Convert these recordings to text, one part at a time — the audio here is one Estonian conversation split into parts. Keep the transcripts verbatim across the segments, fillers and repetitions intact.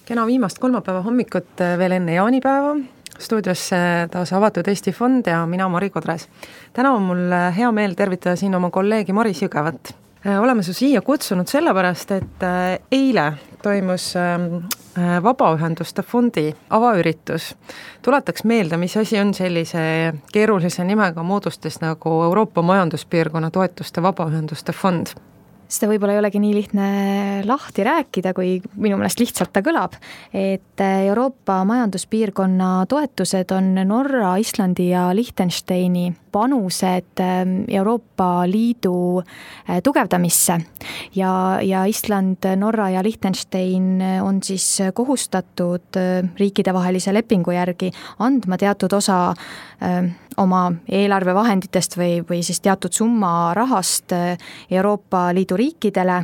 Kena viimast kolmapäeva hommikut veel enne jaanipäeva. Stuudios taas Avatud Eesti Fond ja mina Mari Kodres. Täna on mul hea meel tervitada siin oma kolleegi Maris Jõgevat. Oleme su siia kutsunud sellepärast, et eile toimus Vabaühenduste Fondi avaüritus. Tuletaks meelde, mis asi on sellise keerulise nimega moodustes nagu Euroopa Majanduspiirkonna toetuste Vabaühenduste Fond. Seda võib-olla ei olegi nii lihtne lahti rääkida, kui minu meelest lihtsalt ta kõlab, et Euroopa Majanduspiirkonna toetused on Norra, Islandi ja Liechtensteini panused Euroopa Liidu tugevdamisse ja, ja Island, Norra ja Liechtenstein on siis kohustatud riikidevahelise lepingu järgi andma teatud osa oma eelarvevahenditest või, või siis teatud summa rahast Euroopa Liidu riikidele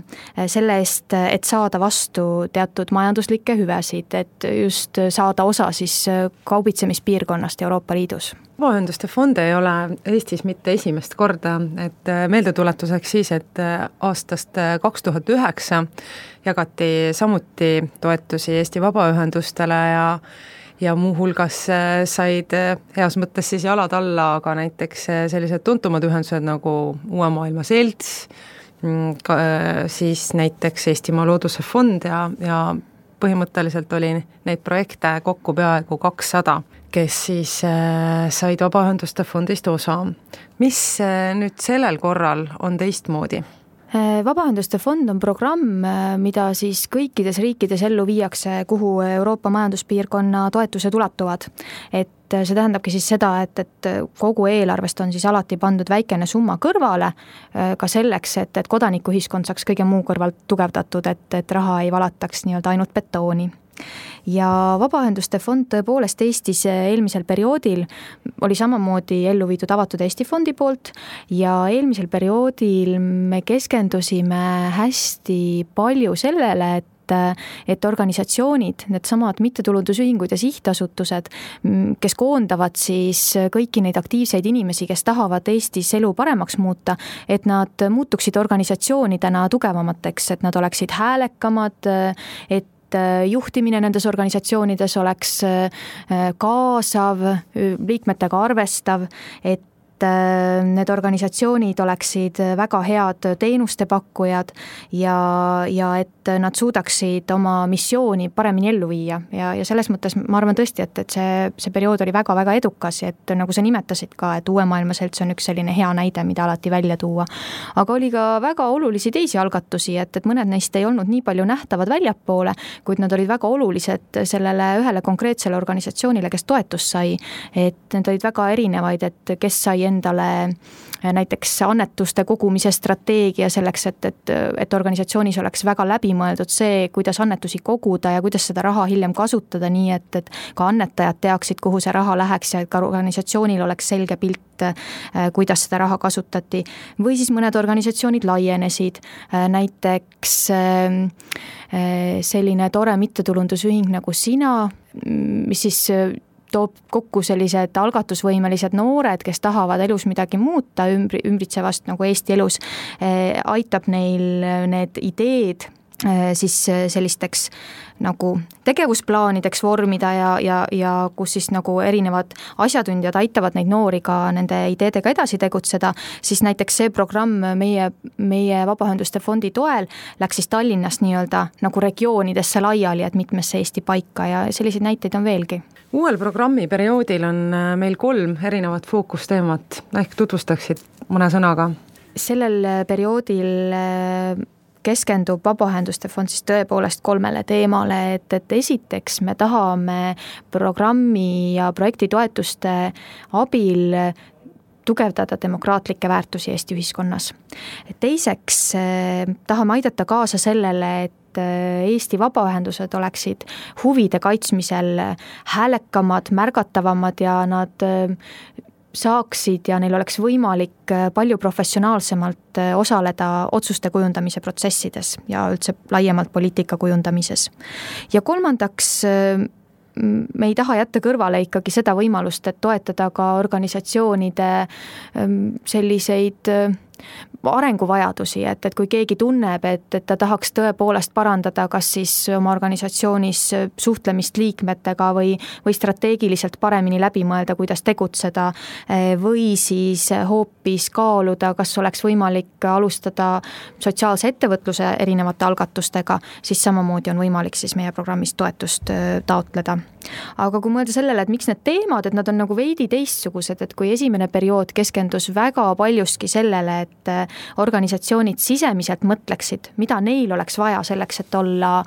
selle eest, et saada vastu teatud majanduslikke hüvesid, et just saada osa siis kaubitsemispiirkonnast Euroopa Liidus. Vabaühenduste fond ei ole Eestis mitte esimest korda, et meeldetuletuseks siis, et aastast kaks tuhat üheksa jagati samuti toetusi Eesti vabaühendustele ja ja muuhulgas said heas mõttes siis jalad alla, aga näiteks sellised tuntumad ühendused nagu Uue Maailma Selts, siis näiteks Eestimaa Looduse Fond ja, ja põhimõtteliselt oli neid projekte kokku peaaegu kakssada, kes siis said Vabaühenduste Fondist osa. Mis nüüd sellel korral on teistmoodi? Vabaühenduste fond on programm, mida siis kõikides riikides ellu viiakse, kuhu Euroopa Majanduspiirkonna toetused ulatuvad. Et see tähendabki siis seda, et, et kogu eelarvest on siis alati pandud väikene summa kõrvale ka selleks, et, et kodanikuühiskond saaks kõige muu kõrvalt tugevdatud, et, et raha ei valataks nii-öelda ainult betooni. Ja Vabaühenduste fond tõepoolest Eestis eelmisel perioodil oli samamoodi ellu viidud Avatud Eesti Fondi poolt ja eelmisel perioodil me keskendusime hästi palju sellele, et et organisatsioonid, need samad mittetulundusühingud ja sihtasutused, kes koondavad siis kõiki neid aktiivseid inimesi, kes tahavad Eestis elu paremaks muuta, et nad muutuksid organisatsioonidena tugevamateks, et nad oleksid häälekamad, et juhtimine nendes organisatsioonides oleks kaasav, liikmetega arvestav, et need organisatsioonid oleksid väga head teenuste pakkujad ja, ja et nad suudaksid oma missiooni paremini ellu viia. Ja, ja selles mõttes ma arvan tõesti, et, et see, see periood oli väga-väga edukas, et nagu sa nimetasid ka, et Uue Maailma Selts on üks selline hea näide, mida alati välja tuua. Aga oli ka väga olulisi teisi algatusi, et, et mõned neist ei olnud nii palju nähtavad väljapoole, kuid nad olid väga olulised sellele ühele konkreetsele organisatsioonile, kes toetust sai. Et need olid väga erinevaid, et kes sai endale näiteks annetuste kogumise strateegia selleks, et, et, et organisatsioonis oleks väga läbimõeldud see, kuidas annetusi koguda ja kuidas seda raha hiljem kasutada nii, et, et ka annetajad teaksid, kuhu see raha läheks ja et ka organisatsioonil oleks selge pilt, kuidas seda raha kasutati. Või siis mõned organisatsioonid laienesid, näiteks selline tore mittetulundusühing nagu Sina, mis siis toob kokku sellised algatusvõimelised noored, kes tahavad elus midagi muuta ümbri, ümbritsevast nagu Eesti elus, aitab neil need ideed siis sellisteks nagu tegevusplaanideks vormida ja, ja, ja kus siis nagu erinevad asjatundjad aitavad neid noori ka nende ideedega edasi tegutseda, siis näiteks see programm meie, meie Vabaühenduste Fondi toel läks siis Tallinnast nii-öelda nagu regioonidesse laiali, et mitmesse Eesti paika ja selliseid näiteid on veelgi. Uuel programmi perioodil on meil kolm erinevat fookusteemat, ehk tutvustaksid mõne sõnaga. Sellel perioodil keskendub Vabaühenduste Fond siis tõepoolest kolmele teemale, et, et esiteks me tahame programmi ja projektitoetuste abil tugevdada demokraatlikke väärtusi Eesti ühiskonnas. Teiseks tahame aidata kaasa sellele, et Eesti vabaühendused oleksid huvide kaitsmisel häälekamad, märgatavamad ja nad saaksid ja neil oleks võimalik palju professionaalsemalt osaleda otsuste kujundamise protsessides ja üldse laiemalt poliitika kujundamises. Ja kolmandaks me ei taha jätta kõrvale ikkagi seda võimalust, et toetada ka organisatsioonide selliseid arenguvajadusi, et, et kui keegi tunneb, et, et ta tahaks tõepoolest parandada kas siis oma organisatsioonis suhtlemist liikmetega või, või strateegiliselt paremini läbi mõelda, kuidas tegutseda, või siis hoopis kaaluda, kas oleks võimalik alustada sotsiaalse ettevõtluse erinevate algatustega, siis samamoodi on võimalik siis meie programmist toetust taotleda. Aga kui mõelda sellele, et miks need teemad, et nad on nagu veidi teistsugused, et kui esimene periood keskendus väga paljuski sellele, et organisatsioonid sisemiselt mõtleksid, mida neil oleks vaja selleks, et olla,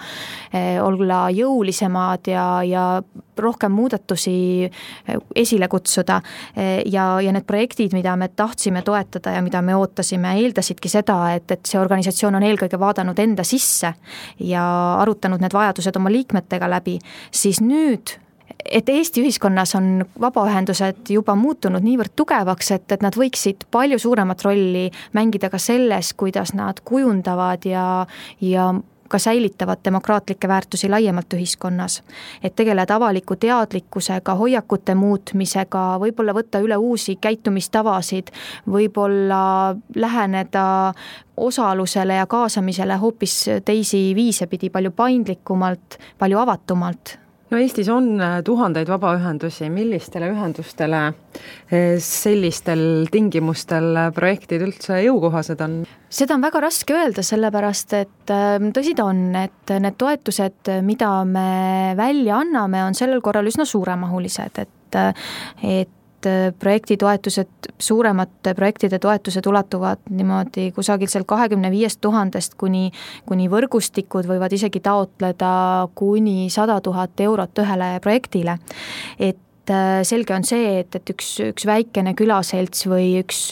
olla jõulisemad ja, ja rohkem muudatusi esile kutsuda ja, ja need projektid, mida me tahtsime toetada ja mida me ootasime, eeldasidki seda, et, et see organisatsioon on eelkõige vaadanud enda sisse ja arutanud need vajadused oma liikmetega läbi, siis nüüd et Eesti ühiskonnas on vabaühendused juba muutunud niivõrd tugevaks, et, et nad võiksid palju suuremat rolli mängida ka selles, kuidas nad kujundavad ja, ja ka säilitavad demokraatlikke väärtusi laiemalt ühiskonnas. Et tegeleda avaliku teadlikkusega, hoiakute muutmisega, võib-olla võtta üle uusi käitumistavasid, võib-olla läheneda osalusele ja kaasamisele hoopis teisi viise pidi palju paindlikumalt, palju avatumalt. No Eestis on tuhandeid vabaühendusi, millistele ühendustele sellistel tingimustel projektid üldse jõukohased on? Seda on väga raske öelda, sellepärast et tõsi ta on, et need toetused, mida me välja anname, on sellel korral üsna suuremahulised, et, et projektitoetused, suuremate projektide toetused ulatuvad niimoodi kusagil seal kahekümne viiest tuhandest kuni, kuni võrgustikud võivad isegi taotleda kuni sada tuhat eurot ühele projektile. Et selge on see, et, et üks, üks väikene külaselts või üks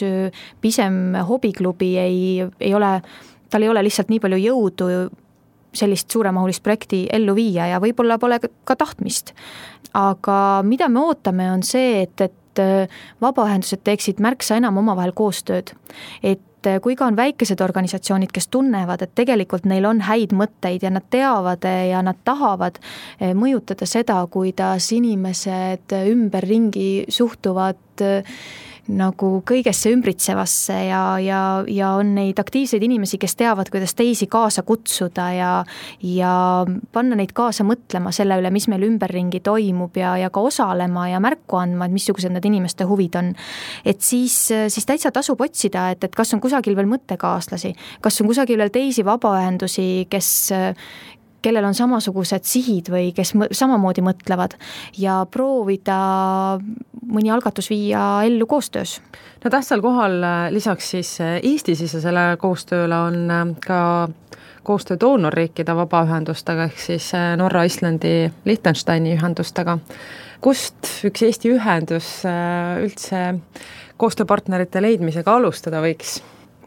pisem hobiklubi ei, ei ole, tal ei ole lihtsalt nii palju jõudu sellist suuremahulist projekti ellu viia ja võib-olla pole ka tahtmist. Aga mida me ootame on see, et, et vabaühendused teeksid märksa enam omavahel koostööd. Et kui ka on väikesed organisatsioonid, kes tunnevad, et tegelikult neil on häid mõtteid ja nad teavad ja nad tahavad mõjutada seda, kuidas inimesed ümberringi suhtuvad nagu kõigesse ümbritsevasse ja, ja, ja on neid aktiivseid inimesi, kes teavad, kuidas teisi kaasa kutsuda ja, ja panna neid kaasa mõtlema selle üle, mis meil ümberringi toimub ja, ja ka osalema ja märku andma, et missugused need inimeste huvid on. Et siis, siis täitsa tasub otsida, et, et kas on kusagil veel mõttekaaslasi, kas on kusagil veel teisi vabaühendusi, kes kellel on samasugused sihid või kes samamoodi mõtlevad ja proovida mõni algatus viia ellu koostöös. No tähtsal kohal lisaks siis Eesti-sisesele koostööle on ka koostöö doonorriikide vabaühendustega ehk siis Norra, Islandi, Liechtensteini ühendustega. Kust üks Eesti ühendus üldse koostööpartnerite leidmisega alustada võiks?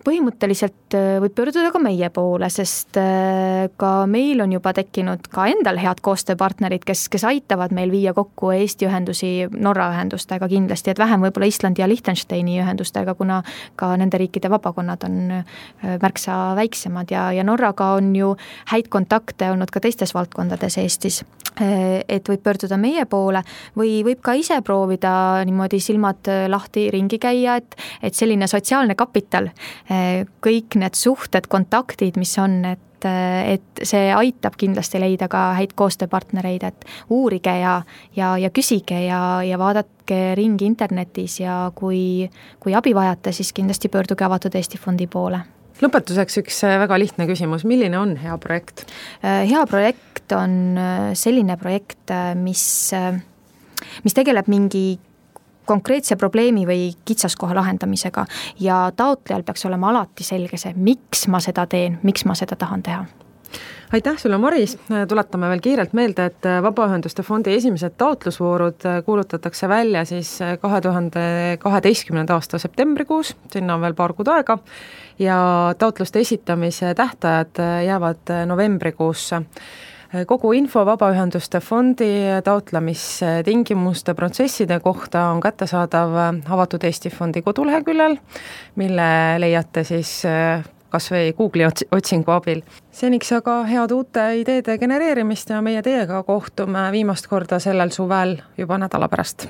Põhimõtteliselt võib pöörduda ka meie poole, sest ka meil on juba tekkinud ka endal head koostööpartnerid, kes, kes aitavad meil viia kokku Eesti ühendusi Norra ühendustega kindlasti, et vähem võib-olla Islandi ja Liechtensteini ühendustega, kuna ka nende riikide vabakonnad on märksa väiksemad ja, ja Norraga on ju häid kontakte olnud ka teistes valdkondades Eestis. Et võib pöörduda meie poole või võib ka ise proovida niimoodi silmad lahti ringi käia, et, et selline sotsiaalne kapital, kõik need suhted, kontaktid, mis on, et, et see aitab kindlasti leida ka häid koostööpartnereid, et uurige ja, ja, ja küsige ja, ja vaadake ringi internetis ja kui, kui abi vajate, siis kindlasti pöörduge Avatud Eesti fondi poole. Lõpetuseks üks väga lihtne küsimus, milline on hea projekt? Hea projekt on selline projekt, mis, mis tegeleb mingi konkreetse probleemi või kitsaskoha lahendamisega ja taotlejal peaks olema alati selge see, miks ma seda teen, miks ma seda tahan teha. Aitäh sulle, Maris! Tuletame veel kiirelt meelde, et Vabaühenduste fondi esimesed taotlusvoorud kuulutatakse välja siis kahe tuhande kaheteistkümnenda aasta septembrikuus, sinna on veel paar kuud aega, ja taotluste esitamise tähtajad jäävad novembrikuusse. Kogu info Vabaühenduste fondi taotlemistingimuste protsesside kohta on kättesaadav Avatud Eesti fondi koduleheküljel, mille leiate siis kas või Google'i otsingu abil. Seniks aga head uute ideede genereerimist ja meie teiega kohtume viimast korda sellel suvel juba nädala pärast.